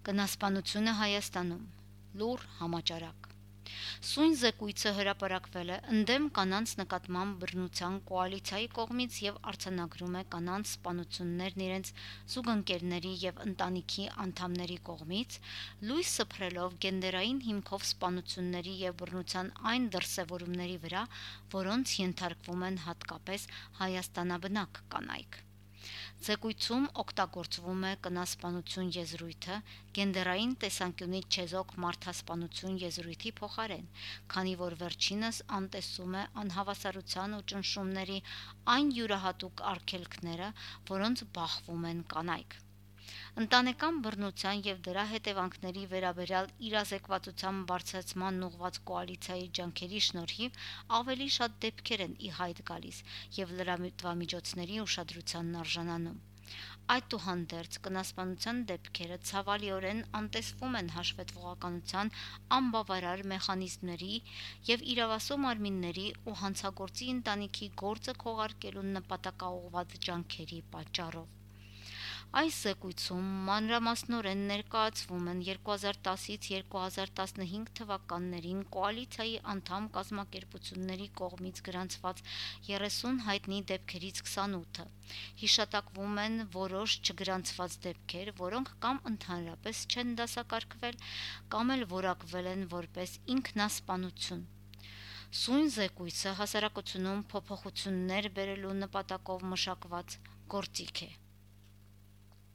Կնասպանությունը Հայաստանում լուռ համաճարակ։ Սույն զեկույցը հրապարակվել է ընդդեմ կանանց նկատմամբ բռնության կոալիցիայի կողմից և արձանագրում է կանանց սպանություններն իրենց զուգընկերների և ընտանիքի անդամների կողմից, լույս սփռելով գենդերային հիմքով սպանությունների և բռնության այն դրսևորումների վրա, որոնց ենթարկվում են հատկապես հայաստանաբնակ կանայք։ Զեկույցում օգտագործվում է կնասպանություն եզրույթը գենդերային տեսանկյունից չեզոք մարդասպանություն եզրույթի փոխարեն, քանի որ վերջինս անտեսում է անհավասարության ու ճնշումների այն յուրահատուկ արգելքները, որոնց բախվում են կանայք։ Ընտանեկան բռնության և դրա հետևանքների վերաբերյալ իրազեկվածության բարձրացմանն ուղղված կոալիցիայի ջանքերի շնորհիվ ավելի շատ դեպքեր են ի հայտ գալիս և լրատվամիջոցների ուշադրությանն արժանանում։ Այդուհանդերձ, կնասպանության դեպքերը ցավալիորեն անտեսվում են հաշվետվողականության անբավարար մեխանիզմների և իրավասու մարմինների ու հանցագործի ընտանիքի գործը քողարկելու նպատակաուղղված ջանքերի պատճառով։ Այս զեկույցում մանրամասնորեն ներկայացվում են 2010-2015 թվականներին կոալիցիայի անդամ կազմակերպությունների կողմից գրանցված 30 հայտնի դեպքերից 28-ը, հիշատակվում են որոշ չգրանցված դեպքեր, որոնք կամ ընդհանրապես չեն դասակարգվել, կամ էլ որակվել են որպես ինքնասպանություն։ Սույն զեկույցը հասարակությունում փոփոխություններ բերելու նպատակով մշակված գործիք է։